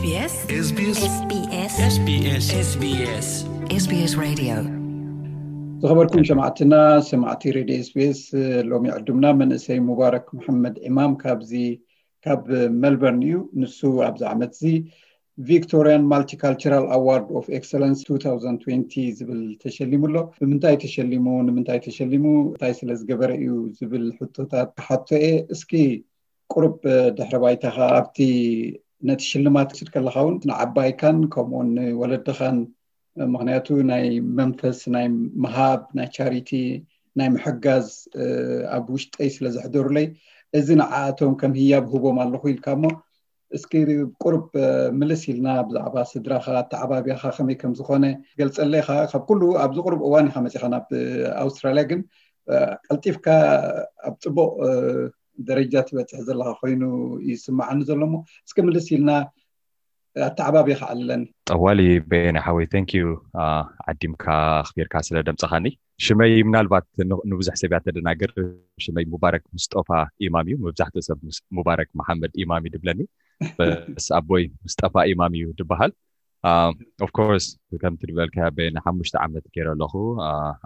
SBS SBS SBS SBS SBS Radio. ዝኸበርኩም ሰማዕትና፣ ሰማዕቲ ሬድዮ ኤስቢኤስ፣ ሎሚ ዕዱምና መንእሰይ ሙባረክ መሐመድ ኢማም ካብዚ ካብ ሜልበርን እዩ። ንሱ ኣብዚ ዓመት እዚ Victorian Multicultural Award of Excellence two thousand twenty ዝብል ተሸሊሙ ኣሎ። ብምንታይ ተሸሊሙ፣ ንምንታይ ተሸሊሙ፣ እንታይ ስለ ዝገበረ እዩ ዝብል ሕቶታት ክሓቶ እየ። እስኪ ቁሩብ ድሕረ ባይታኻ ኣብቲ ነቲ ሽልማት ክትወስድ ከለኻ እውን ንዓባይካን ከምኡውን ንወለድኻን፣ ምኽንያቱ ናይ መንፈስ ናይ ምሃብ ናይ ቻሪቲ ናይ ምሕጋዝ ኣብ ውሽጠይ ስለ ዘሕደሩለይ፣ እዚ ንዓኣቶም ከም ህያብ ህቦም ኣለኹ ኢልካ እሞ፣ እስኪ ቁሩብ ምልስ ኢልና ብዛዕባ ስድራኻ ኣተዓባብያኻ ከመይ ከም ዝኾነ ገልጸለይ። ኢኻ ካብ ኩሉ ኣብዚ ቁሩብ እዋን ኢኻ መጺኻ ናብ ኣውስትራልያ፣ ግን ቀልጢፍካ ኣብ ጽቡቕ ደረጃ ትበጽሕ ዘለኻ ኮይኑ ይስምዓኒ ዘሎ እሞ፣ እስኪ ምልስ ኢልና ኣተዓባብያኻ ኣለኒ። ጠዋሊ በየነ ሓወይ፣ thank you፣ ዓዲምካ ኣኽቢርካ ስለ ደምጸኻኒ። ሽመይ ምናልባት ን- ንብዙሕ ሰብ እያ ተደናግር። ሽመይ ሙባረክ ሙስጦፋ ኢማም እዩ። መብዛሕትኡ ሰብ ሙስ- ሙባረክ መሓመድ ኢማም እዩ ድብለኒ። በስ ኣቦይ ሙስጠፋ ኢማም እዩ ድበሃል። Of course፣ ከምቲ ዝበልካ በየነ ሓሙሽተ ዓመት ገይረ ኣለኹ።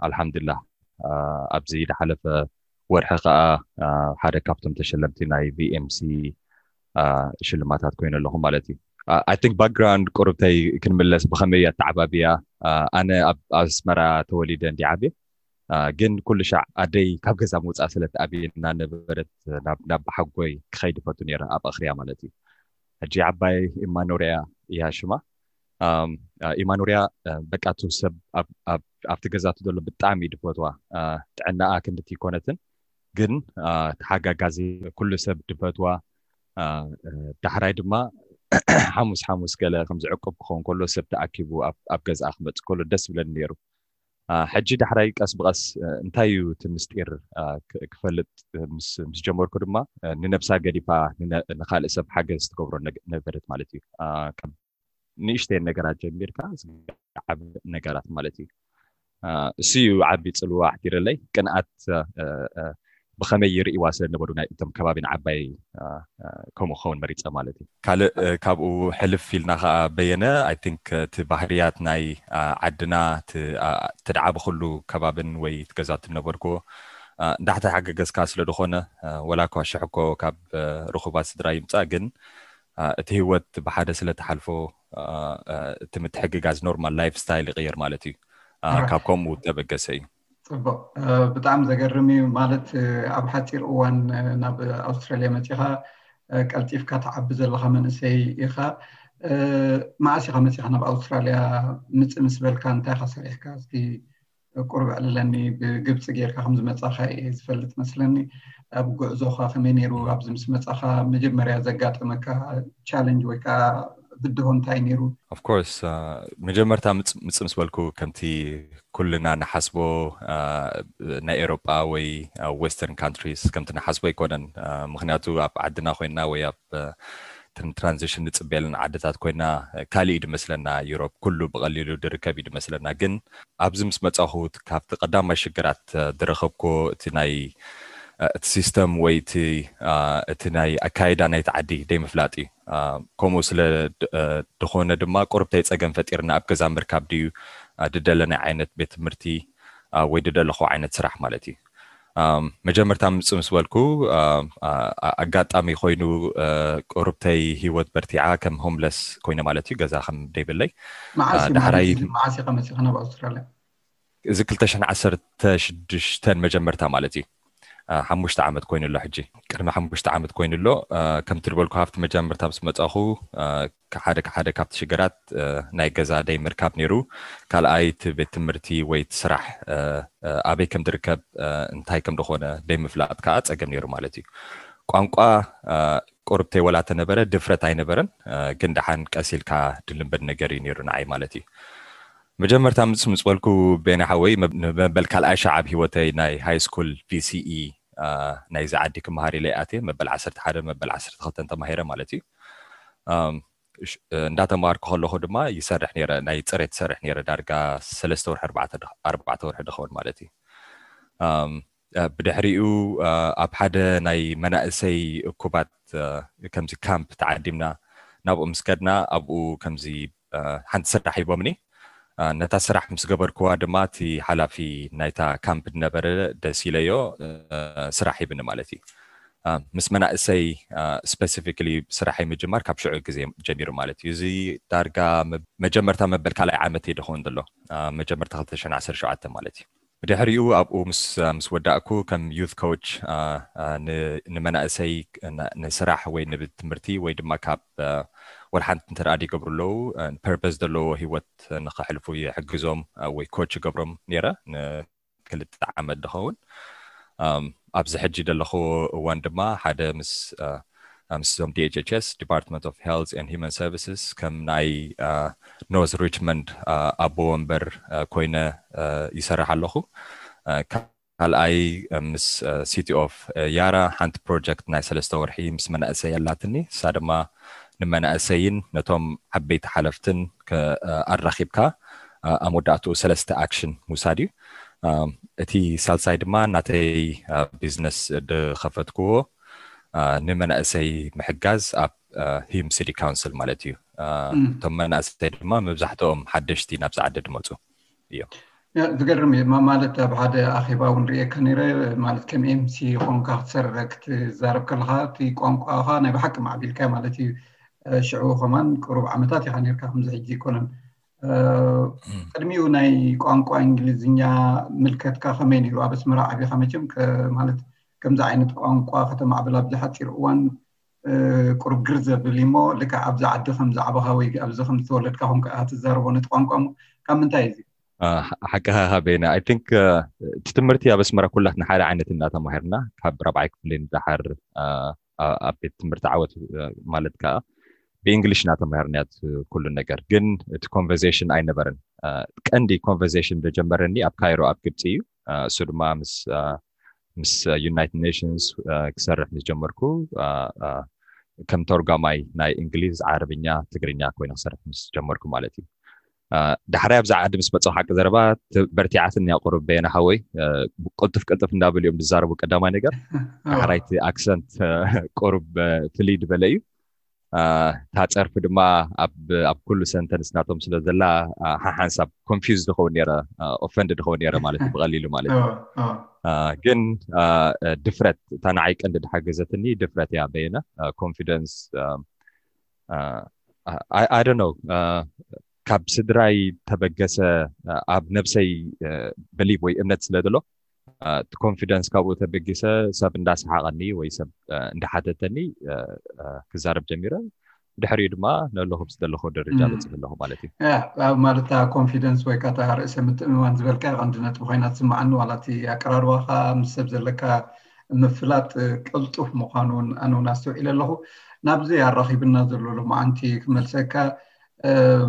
ኣልሓምዱላ፣ ኣብዚ ዝሓለፈ ወርሒ ከዓ ሓደ ካብቶም ተሸለምቲ ናይ ቪኤምሲ ሽልማታት ኮይኑ ኣለኹ ማለት እዩ። I think ባክግራውንድ ቁርብተይ ክንምለስ፣ ብኸመይ ኣተዓባብያ፣ ኣነ ኣብ ኣስመራ ተወሊደ እንዲ ዓብየ፣ ግን ኩሉ ሻዕ ኣደይ ካብ ገዛ ምውፃእ ስለ ትኣብየና ነበረት፣ ናብ ናብ ሓጎይ ክኸይድ ይፈቱ ነይረ፣ ኣብ ኣኽርያ ማለት እዩ። ሕጂ ዓባይ ኢማኖርያ እያ ሽማ። ኢማኖርያ በቃ፣ እቲ ሰብ ኣብቲ ገዛቱ ዘሎ ብጣዕሚ እዩ ድፈትዋ። ጥዕናኣ ክንድቲ ይኮነትን፣ ግን ተሓጋጋዚ፣ ኩሉ ሰብ ድፈትዋ። ዳሕራይ ድማ ሓሙስ ሓሙስ ገለ ከምዚ ዕቁብ ክኸውን ከሎ፣ ሰብ ተኣኪቡ ኣብ ገዛኣ ክመፅእ ከሎ ደስ ብለኒ ነይሩ። ሕጂ ዳሕራይ ቀስ ብቐስ እንታይ እዩ እቲ ምስጢር ክፈልጥ ምስ ጀመርኩ ድማ፣ ንነብሳ ገዲፋ ንኻልእ ሰብ ሓገዝ ትገብሮ ነበረት ማለት እዩ። ንእሽተይ ነገራት ጀሚርካ ዓብ ነገራት ማለት እዩ። እሱ እዩ ዓቢ ጽልዋ ኣሕዲረለይ። ቅንኣት ብኸመይ ይርእይዋ ስለ ነበሩ ናይ እቶም ከባቢ ንዓባይ ከምኡ ክኸውን መሪጸ ማለት እዩ። ካልእ ካብኡ ሕልፍ ኢልና ከዓ በየነ፣ I think እቲ ባህርያት ናይ ዓድና፣ እቲ ደዓበኹሉ ከባብን ወይ እቲ ገዛ ትነበርኩዎ እንዳሕተ ሓገገዝካ ስለ ዝኾነ፣ ወላ እኳ ሽሕ እኮ ካብ ርኹባት ስድራ ይምጻእ፣ ግን እቲ ህይወት ብሓደ ስለ ትሓልፎ፣ እቲ ምትሕግጋዝ ኖርማል ላይፍ ስታይል ይቕየር ማለት እዩ። ካብ ከምኡ ተበገሰ እዩ። ጽቡቕ። ብጣዕሚ ዘገርም እዩ። ማለት ኣብ ሓፂር እዋን ናብ ኣውስትራልያ መፂኻ፣ ቀልጢፍካ ትዓቢ ዘለኻ መንእሰይ ኢኻ። መዓስ ኢኻ መፂኻ ናብ ኣውስትራልያ? ምፅእ ምስ በልካ እንታይ ኢኻ ሰሪሕካ? እስኪ ቁሩብ ዕልለኒ። ብግብፂ ጌርካ ከም ዝመፃኻ እየ ዝፈልጥ መስለኒ። ኣብ ጉዕዞኻ ከመይ ነይሩ? ኣብዚ ምስ መፃኻ መጀመርያ ዘጋጠመካ ቻለንጅ ወይ ከዓ ብድሆ እንታይ ነይሩ? Of course፣ መጀመርታ ምፅ ምስ በልኩ፣ ከምቲ ኩልና ንሓስቦ፣ ናይ ኤሮጳ ወይ ዌስተርን ካንትሪስ ከምቲ ንሓስቦ ኣይኮነን። ምክንያቱ ኣብ ዓድና ኮይና ወይ ኣብ ትራንዚሽን ንፅበየለን ዓድታት ኮይና ካልእ እዩ ድመስለና። ዩሮፕ ኩሉ ብቐሊሉ ድርከብ እዩ ድመስለና። ግን ኣብዚ ምስ መፃኹ፣ ካብቲ ቀዳማይ ሽግራት ድረኸብኮ፣ እቲ ናይ እቲ ሲስተም ወይ እቲ እቲ ናይ ኣካይዳ ናይቲ ዓዲ ደይምፍላጥ እዩ። ከምኡ ስለ ዝኾነ ድማ ቁርብተይ ፀገም ፈጢርና ኣብ ገዛ ምርካብ ድዩ ድደለናይ ዓይነት ቤት ትምህርቲ ወይ ድደለኹ ዓይነት ስራሕ ማለት እዩ። መጀመርታ ምፅ ምስ በልኩ፣ ኣጋጣሚ ኮይኑ ቁርብተይ ህይወት በርቲዓ፣ ከም ሆምለስ ኮይነ ማለት እዩ፣ ገዛ ከም ደይብለይ። ዳሕራይ መዓስ ኢኻ መፂኻ ናብ ኣውስትራልያ? እዚ ክልተ ሽሕን ዓሰርተ ሽዱሽተን መጀመርታ ማለት እዩ። ሓሙሽተ ዓመት ኮይኑ ኣሎ ሕጂ። ቅድሚ ሓሙሽተ ዓመት ኮይኑ ኣሎ። ከምቲ ዝበልኩ፣ ካብቲ መጀመርታ ምስ መፃኹ፣ ሓደ ሓደ ካብቲ ሽግራት ናይ ገዛ ደይ ምርካብ ነይሩ። ካልኣይ እቲ ቤት ትምህርቲ ወይ እቲ ስራሕ ኣበይ ከም ዝርከብ፣ እንታይ ከም ዝኾነ ደይ ምፍላጥ ከዓ ፀገም ነይሩ ማለት እዩ። ቋንቋ ቁርብተይ ወላ ተነበረ፣ ድፍረት ኣይነበረን። ግን ደሓን ቀስ ኢልካ ድልምበድ ነገር እዩ ነይሩ ንዓይ ማለት እዩ። መጀመርታ ምስ ምስ በልኩ፣ ቤና ሓወይ፣ መበል ካልኣይ ሻዕ ኣብ ህይወተይ ናይ ሃይ ስኩል ቪሲኢ ናይዚ ዓዲ ክመሃር ኢለ ኣትየ። መበል ዓሰርተ ሓደ፣ መበል ዓሰርተ ክልተ ተማሂረ ማለት እዩ። እንዳተማሃርኩ ከለኹ ድማ ይሰርሕ ነይረ፣ ናይ ፅሬት ይሰርሕ ነይረ። ዳርጋ ሰለስተ ወርሒ፣ ኣርባዕተ ወርሒ ድኸውን ማለት እዩ። ብድሕሪኡ ኣብ ሓደ ናይ መናእሰይ እኩባት ከምዚ ካምፕ ተዓዲምና፣ ናብኡ ምስ ከድና ኣብኡ ከምዚ ሓንቲ ስራሕ ሂቦምኒ። ነታ ስራሕ ምስ ገበርክዋ ድማ እቲ ሓላፊ ናይታ ካምፕ ዝነበረ ደስ ኢለዮ፣ ስራሕ ሂብኒ ማለት እዩ። ምስ መናእሰይ ስፔሲፊክሊ ስራሐይ ምጅማር ካብ ሽዑ ግዜ ጀሚሩ ማለት እዩ። እዚ ዳርጋ መጀመርታ መበል ካልኣይ ዓመት እዩ ደኸውን ዘሎ፣ መጀመርታ ክልተ ሽሕን ዓሰርተ ሸውዓተን ማለት እዩ። ድሕሪኡ ኣብኡ ምስ ምስ ወዳእኩ ከም ዩት ኮች ንመናእሰይ ንስራሕ ወይ ንትምህርቲ ወይ ድማ ካብ ወላ ሓንቲ እንተ ደኣ ይገብሩ ኣለዉ ፐርፐስ ዘለዎ ህይወት ንኸሕልፉ ይሕግዞም ወይ ኮች ይገብሮም ነይረ ንክልተ ዓመት ዝኸውን። ኣብዚ ሕጂ ዘለኹ እዋን ድማ ሓደ ምስ ምስዞም D H H S Department of Health and Human Services ከም ናይ North Richmond ኣቦ ወንበር ኮይነ ይሰርሕ ኣለኹ። ካልኣይ ምስ City of Yarra ሓንቲ ፕሮጀክት ናይ ሰለስተ ወርሒ ምስ መናእሰይ ኣላትኒ። እሳ ድማ ንመናእሰይን ነቶም ዓበይቲ ሓለፍትን ኣራኺብካ ኣብ መወዳእትኡ ሰለስተ ኣክሽን ምውሳድ እዩ። እቲ ሳልሳይ ድማ ናተይ ቢዝነስ ዝኸፈትክዎ ንመናእሰይ ምሕጋዝ ኣብ ሂም ሲቲ ካውንስል ማለት እዩ። እቶም መናእሰይ ድማ መብዛሕትኦም ሓደሽቲ ናብዚ ዓዲ ዝመፁ እዮም። ዝገርም እዩ ማለት ኣብ ሓደ ኣኼባ እውን ርእየካ ነይረ። ማለት ከም ኤምሲ ኾንካ ክትሰርሕ ክትዛረብ ከለካ እቲ ቋንቋኻ ናይ ብሓቂ ማዕቢልካ ማለት እዩ። ሽዑ ከማን ቅሩብ ዓመታት ኢኻ ነርካ፣ ከምዚ ሕጂ ኣይኮነን። ቅድሚኡ ናይ ቋንቋ እንግሊዝኛ ምልከትካ ከመይ ነይሩ? ኣብ ኣስመራ ዓቢኻ መቸም ማለት ከምዚ ዓይነት ቋንቋ ከተማዕብል ኣብዚ ሓፂር እዋን ቅሩብ ግር ዘብል እሞ ልክዕ ኣብዚ ዓዲ ከም ዝዓበኻ ወይ ኣብዚ ከም ዝተወለድካ ኮንካ ኢኻ ትዛረቦ ነቲ ቋንቋ እሞ ካብ ምንታይ እዩ? ሓቅኻ በይነ I think እቲ ትምህርቲ ኣብ ኣስመራ ኩላትና ሓደ ዓይነት እናተማሂርና ካብ ራብዓይ ክፍሊ ንደሓር ኣብ ቤት ትምህርቲ ዓወት ማለት ከዓ ብእንግሊሽ እናተማሂርና ኩሉ ነገር ግን እቲ ኮንቨርሴሽን ኣይነበረን። ቀንዲ ኮንቨርሴሽን ዝጀመረኒ ኣብ ካይሮ ኣብ ግብፂ እዩ። እሱ ድማ ምስ ምስ ዩናይትድ ኔሽንስ ክሰርሕ ምስ ጀመርኩ ከም ተርጓማይ ናይ እንግሊዝ፣ ዓረብኛ፣ ትግርኛ ኮይነ ክሰርሕ ምስ ጀመርኩ ማለት እዩ። ዳሕራይ ኣብዚ ዓዲ ምስ መፀው ሓቂ ዘረባ በርቲዓትኒ እያ ቁሩብ በየነ ሓወይ። ቅልጥፍ ቅልጥፍ እንዳበሉ እዮም ዝዛረቡ ቀዳማይ ነገር። ዳሕራይ እቲ ኣክሰንት ቁሩብ ፍልይ ዝበለ እዩ። እታ ፀርፊ ድማ ኣብ ኩሉ ሰንተንስ ናቶም ስለ ዘላ ሓሓንሳብ ኮንፊውዝ ዝኸውን ነረ ኦፈንድ ዝኸውን ነረ ማለት እዩ ብቐሊሉ ማለት እዩ። ግን ድፍረት እታ ንዓይ ቀንዲ ዝሓገዘትኒ ድፍረት እያ በየነ። ኮንፊደንስ I don't know ካብ ስድራይ ተበገሰ ኣብ ነብሰይ ብሊቭ ወይ እምነት ስለ ዘሎ እቲ ኮንፊደንስ ካብኡ ተበጊሰ ሰብ እንዳሰሓቐኒ ወይ ሰብ እንዳሓተተኒ ክዛረብ ጀሚረ። ድሕሪኡ ድማ ነለኹ ምስ ዘለኹ ደረጃ በፂሑ ኣለኹ ማለት እዩ። ማለት ኮንፊደንስ ወይ ከዓ ርእሰ ምትእምማን ዝበልካ ቀንዲ ነጥቢ ኮይና ትስምዓኒ። ዋላ እቲ ኣቀራርባኻ ምስ ሰብ ዘለካ ምፍላጥ ቅልጡፍ ምዃኑ እውን ኣነ እውን ኣስተውዒለ ኣለኹ። ናብዚ ኣራኺብና ዘሎ ሎማዓንቲ ክመልሰካ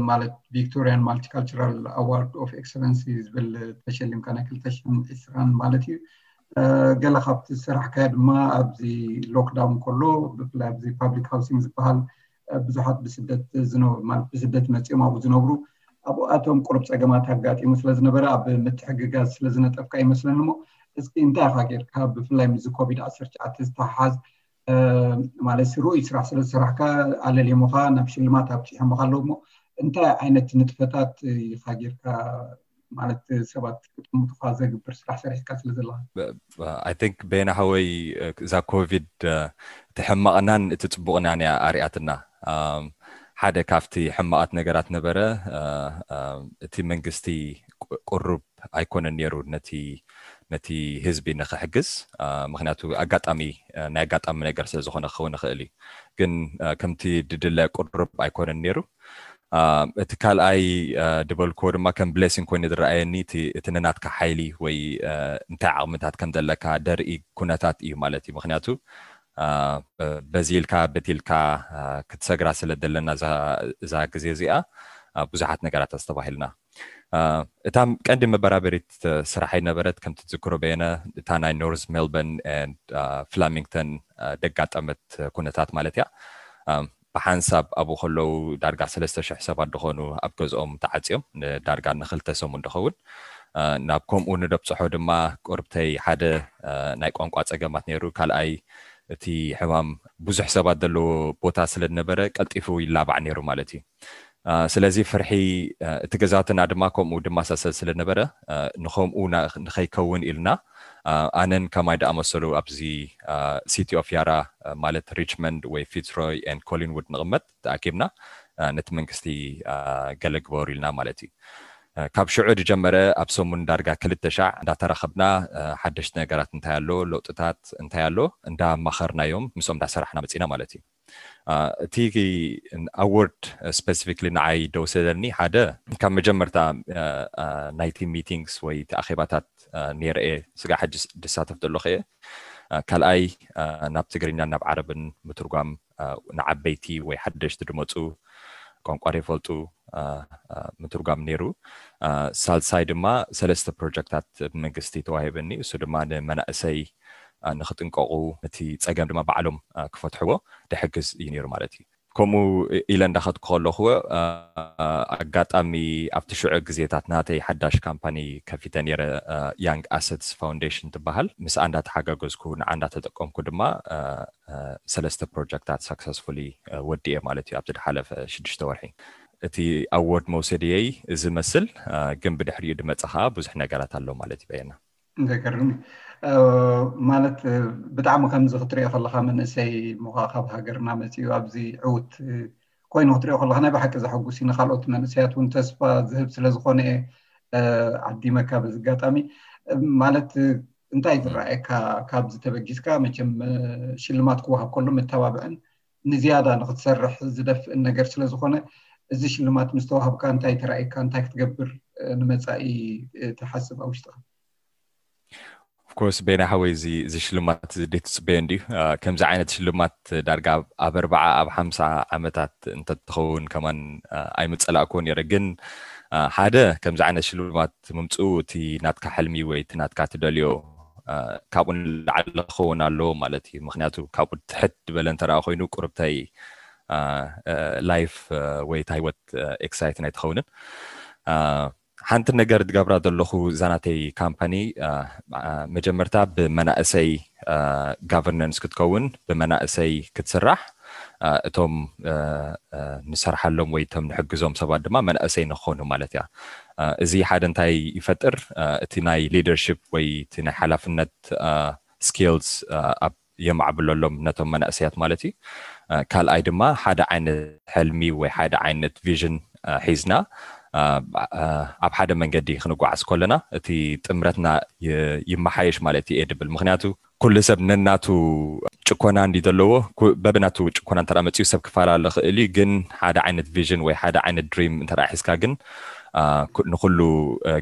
ማለት Victorian Multicultural Award of Excellency ዝብል ተሸሊምካ ናይ ክልተ ሽሕን ዕስራን ማለት እዩ። ገለ ካብቲ ዝሰራሕካዮ ድማ ኣብዚ ሎክዳውን ከሎ ብፍላይ ኣብዚ ፓብሊክ ሃውሲንግ ዝበሃል ብዙሓት ብስደት ዝነብሩ ማለት ብስደት መፂኦም ኣብኡ ዝነብሩ ኣብኣቶም ቁሩብ ፀገማት ኣጋጢሙ ስለዝነበረ ኣብ ምትሕግጋዝ ስለዝነጠፍካ ይመስለኒ እሞ እስኪ እንታይ ኢኻ ጌርካ ብፍላይ ምስ ኮቪድ ዓሰርተ ትሽዓተ ዝተሓሓዝ ማለት ርኡይ ስራሕ ስለ ዝሰራሕካ ኣለልዮምኻ ናብ ሽልማት ኣብፂሖምኻ ኣለዉ እሞ እንታይ ዓይነት ንጥፈታት ኢኻ ጌርካ ማለት ሰባት ክጥምቱኻ ዘግብር ስራሕ ሰሪሕካ ስለ ዘለኻ? I think በየነ ሓወይ እዛ ኮቪድ እቲ ሕማቕናን እቲ ፅቡቕናን እያ ኣርያትና። ሓደ ካብቲ ሕማቓት ነገራት ነበረ እቲ መንግስቲ ቁሩብ ኣይኮነን ነይሩ ነቲ ነቲ ህዝቢ ንክሕግዝ። ምክንያቱ ኣጋጣሚ ናይ ኣጋጣሚ ነገር ስለ ዝኾነ ክኸውን ይኽእል እዩ። ግን ከምቲ ድድለ ቁሩብ ኣይኮነን ነይሩ። እቲ ካልኣይ ድበልክዎ ድማ ከም ብሌሲንግ ኮይኑ ዝረኣየኒ እቲ ነናትካ ሓይሊ ወይ እንታይ ዓቕምታት ከም ዘለካ ደርኢ ኩነታት እዩ ማለት እዩ። ምክንያቱ በዚ ኢልካ በቲ ኢልካ ክትሰግራ ስለ ዘለና እዛ ግዜ እዚኣ ብዙሓት ነገራት ኣስተባሂልና። እታ ቀንዲ መበራበሪት ስራሐይ ነበረት ከምቲ ትዝክሮ በየነ እታ ናይ ኖርዝ ሜልበርን ፍላሚንግተን ደጋጠመት ኩነታት ማለት እያ። ብሓንሳብ ኣብኡ ከለዉ ዳርጋ ሰለስተ ሽሕ ሰባት ዝኾኑ ኣብ ገዝኦም ተዓፅዮም ንዳርጋ ንክልተ ሰሙን ድኸውን። ናብ ከምኡ ንደብፅሖ ድማ ቁርብተይ ሓደ ናይ ቋንቋ ፀገማት ነይሩ፣ ካልኣይ እቲ ሕማም ብዙሕ ሰባት ዘለዎ ቦታ ስለ ዝነበረ ቀልጢፉ ይላባዕ ነይሩ ማለት እዩ። ስለዚ ፍርሒ እቲ ገዛትና ድማ ከምኡ ድማ ሳሰል ስለነበረ ንከምኡ ንኸይከውን ኢልና ኣነን ከማይ ደኣመሰሉ ኣብዚ ሲቲ ኦፍ ያራ ማለት ሪችመንድ ወይ ፊትስሮይ ን ኮሊንውድ ንቕመጥ ተኣኪብና ነቲ መንግስቲ ገለ ግበሩ ኢልና ማለት እዩ። ካብ ሽዑ ዝጀመረ ኣብ ሰሙን ዳርጋ ክልተ ሻዕ እንዳተራኸብና ሓደሽቲ ነገራት እንታይ ኣሎ፣ ለውጥታት እንታይ ኣሎ እንዳማኸርናዮም ምስኦም እንዳሰራሕና መፂና ማለት እዩ። እቲ ኣወርድ ስፔሲፊክሊ ንዓይ ደውሰደኒ ሓደ ካብ መጀመርታ ናይቲ ሚቲንግስ ወይ እቲ ኣኼባታት ነይረ እየ። ስጋ ሕጂ ድሳተፍ ዘለኹ እየ። ካልኣይ ናብ ትግርኛ ናብ ዓረብን ምትርጓም ንዓበይቲ ወይ ሓደሽቲ ድመፁ ቋንቋ ዘይፈልጡ ምትርጓም ነይሩ። ሳልሳይ ድማ ሰለስተ ፕሮጀክታት ብመንግስቲ ተዋሂበኒ። እሱ ድማ ንመናእሰይ ንክጥንቀቑ እቲ ፀገም ድማ ባዕሎም ክፈትሕዎ ድሕግዝ እዩ ነይሩ ማለት እዩ። ከምኡ ኢለ እንዳኸድኩ ከለኹ ኣጋጣሚ ኣብቲ ሽዑ ግዜታት ናተይ ሓዳሽ ካምፓኒ ከፊተ ነይረ፣ ያንግ ኣሰትስ ፋውንዴሽን ትበሃል። ምስኣ እንዳተሓጋገዝኩ ንዓ እንዳተጠቀምኩ ድማ ሰለስተ ፕሮጀክታት ሳክሰስፉሊ ወዲኤ ማለት እዩ ኣብቲ ዝሓለፈ ሽዱሽተ ወርሒ። እቲ ኣዎርድ መውሰድየይ እዚ መስል ግን ብድሕሪኡ ድመፀ ከዓ ብዙሕ ነገራት ኣሎ ማለት እዩ። በየና ዘገርም ማለት ብጣዕሚ ከምዚ ክትሪኦ ከለካ መንእሰይ ምኳ ካብ ሃገርና መፂኡ ኣብዚ ዕውት ኮይኑ ክትሪኦ ከለካ ናይ ብሓቂ ዘሐጉስ እዩ። ንካልኦት መንእሰያት እውን ተስፋ ዝህብ ስለዝኮነ እየ ዓዲመካ በዚ ኣጋጣሚ። ማለት እንታይ ዝረኣየካ ካብዚ ተበጊስካ? መቸም ሽልማት ክወሃብ ከሎ መተባብዕን ንዝያዳ ንክትሰርሕ ዝደፍእን ነገር ስለዝኮነ እዚ ሽልማት ምስ ተዋሃብካ እንታይ ተራእየካ? እንታይ ክትገብር ንመፃኢ ትሓስብ ኣብ ውሽጥካ? ኦፍኮርስ ቤና ሓወይ እዚ ሽልማት እዚ ደይ ትፅበዮ እንድዩ። ከምዚ ዓይነት ሽልማት ዳርጋ ኣብ ኣርባዓ ኣብ ሓምሳ ዓመታት እንተትኸውን ከማን ኣይምፀላእክዎ ነይረ። ግን ሓደ ከምዚ ዓይነት ሽልማት ምምፅኡ እቲ ናትካ ሕልሚ ወይ እቲ ናትካ ትደልዮ ካብኡ ንላዕሊ ክኸውን ኣለዎ ማለት እዩ። ምክንያቱ ካብኡ ትሕት ዝበለ እንተረኣ ኮይኑ ቁርብታይ ላይፍ ወይ እታ ህይወት ኤክሳይትን ኣይትኸውንን። ሓንቲ ነገር ዝገብራ ዘለኹ እዛ ናተይ ካምፓኒ መጀመርታ ብመናእሰይ ጋቨርነንስ ክትከውን ብመናእሰይ ክትስራሕ እቶም ንሰርሓሎም ወይ እቶም ንሕግዞም ሰባት ድማ መናእሰይ ንክኾኑ ማለት እያ። እዚ ሓደ እንታይ ይፈጥር? እቲ ናይ ሊደርሽፕ ወይ እቲ ናይ ሓላፍነት ስኪልስ ኣብ የማዕብለሎም ነቶም መናእሰያት ማለት እዩ። ካልኣይ ድማ ሓደ ዓይነት ሕልሚ ወይ ሓደ ዓይነት ቪዥን ሒዝና ኣብ ሓደ መንገዲ ክንጓዓዝ ከለና እቲ ጥምረትና ይመሓየሽ ማለት እየ ድብል። ምክንያቱ ኩሉ ሰብ ነናቱ ጭኮና እንዲ ዘለዎ በብናቱ ጭኮና እንተ መፅኡ ሰብ ክፈላለ ክእል እዩ። ግን ሓደ ዓይነት ቪዥን ወይ ሓደ ዓይነት ድሪም እንተ ሒዝካ ግን ንኩሉ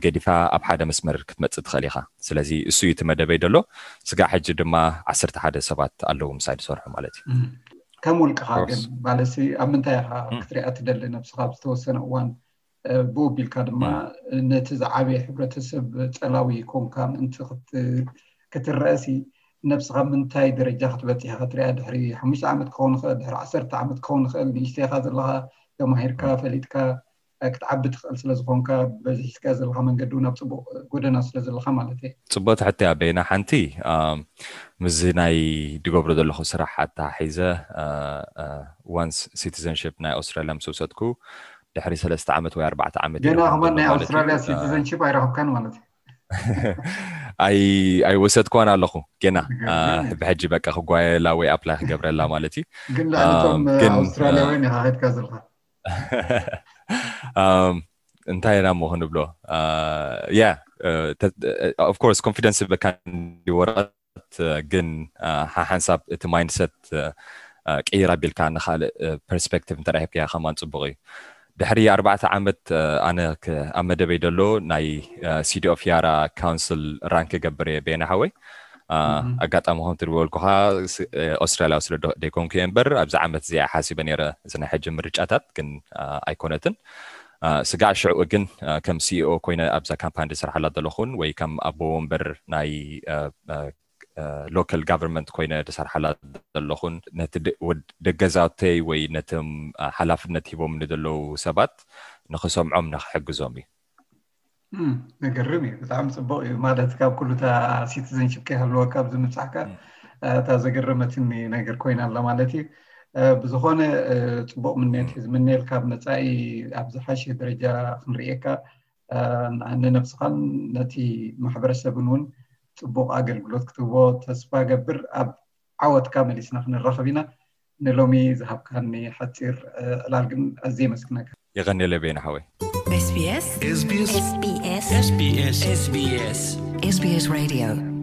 ገዲፋ ኣብ ሓደ መስመር ክትመፅእ ትኽእል ኢኻ። ስለዚ እሱ እዩ እቲ መደበይ ደሎ። ስጋዕ ሕጂ ድማ ዓሰርተ ሓደ ሰባት ኣለዉ ምሳይ ዝሰርሑ ማለት እዩ። ከም ውልቅኻ ግን ማለትሲ ኣብ ምንታይ ኢኻ ክትሪኣ ትደሊ? ነብስኻ ኣብ ዝተወሰነ እዋን ብኡ ቢልካ ድማ ነቲ ዝዓበየ ሕብረተሰብ ፀላዊ ኮንካ ምእንቲ ክትረአሲ ነብስኻ ምንታይ ደረጃ ክትበፂሕ ኢኻ ትሪኣ? ድሕሪ ሓሙሽተ ዓመት ክኸውን ይኽእል፣ ድሕሪ ዓሰርተ ዓመት ክኸውን ይኽእል። ንእሽተይኻ ዘለኻ ተማሂርካ ፈሊጥካ ክትዓቢ ትኽእል ስለዝኾንካ በዚ ሒዝካ ዘለካ መንገዲ እውን ኣብ ፅቡቅ ጎደና ስለዘለካ ማለት እየ። ፅቡቅ ትሕቲ ኣበይና ሓንቲ ምስዚ ናይ ድገብሮ ዘለኹ ስራሕ ኣተሓሒዘ ዋንስ ሲቲዘንሽፕ ናይ ኣውስትራሊያ ምስ ወሰድኩ ድሕሪ ሰለስተ ዓመት ወይ ኣርባዕተ ዓመት ገና ከማን ናይ ኣውስትራሊያ ሲቲዘንሽፕ ኣይረኸብካን ማለት እዩ። ኣይወሰድኳን ኣለኹ ገና ብሕጂ በቃ ክጓየላ ወይ ኣፕላይ ክገብረላ ማለት እዩ። ግን ልዕሊቶም ኣውስትራሊያውያን ኢኻ ከድካ ዘለካ እንታይ ኢና ሞ ክንብሎ ያ ኦፍኮርስ ኮንፊደንስ በካ ወረቀት ግን ሓሓንሳብ እቲ ማይንድሰት ቅይር ኣቢልካ ንካልእ ፐርስፔክቲቭ እንተረሂብካያ ከማን ፅቡቅ እዩ። ድሕሪ ኣርባዕተ ዓመት ኣነ ኣብ መደበይ ደሎ ናይ ሲዲ ኦፍ ያራ ካውንስል ራንክ ገብር እየ ቤና ሓወይ። ኣጋጣሚ ከም ትድበልኩካ ኣውስትራልያ ስለ ደይኮንኩ እየ እምበር ኣብዚ ዓመት እዚኣ ሓሲበ ነይረ እዚ ናይ ሕጂ ምርጫታት ግን ኣይኮነትን። ስጋዕ ሽዑ ግን ከም ሲኢኦ ኮይነ ኣብዛ ካምፓኒ ዝስራሓላ ዘለኹን ወይ ከም ኣቦ ወንበር ናይ ሎካል ጋቨርንመንት ኮይነ ዝሰርሓላ ዘለኹን ነቲ ደገዛተይ ወይ ነቶም ሓላፍነት ሂቦም ንዘለዉ ሰባት ንክሰምዖም ንክሕግዞም እዩ። ዘገርም እዩ። ብጣዕሚ ፅቡቅ እዩ። ማለት ካብ ኩሉታ ሲቲዘንሽፕ ከይሃለወካ ኣብዚ ምብፃሕካ እታ ዘገረመትኒ ነገር ኮይና ኣላ ማለት እዩ። ብዝኾነ፣ ፅቡቕ ምንየት እዩ ዝምነየልካ። ኣብ መፃኢ ኣብ ዝሓሸ ደረጃ ክንርእየካ፣ ንነብስኻን ነቲ ማሕበረሰብን እውን ፅቡቕ ኣገልግሎት ክትህቦ ተስፋ ገብር። ኣብ ዓወትካ መሊስና ክንራኸብ ኢና። ንሎሚ ዝሃብካኒ ሓፂር ዕላል ግን ኣዝየ የመስግነካ። የቐንየለ ቤና ሓወይ። SBS SBS SBS SBS SBS Radio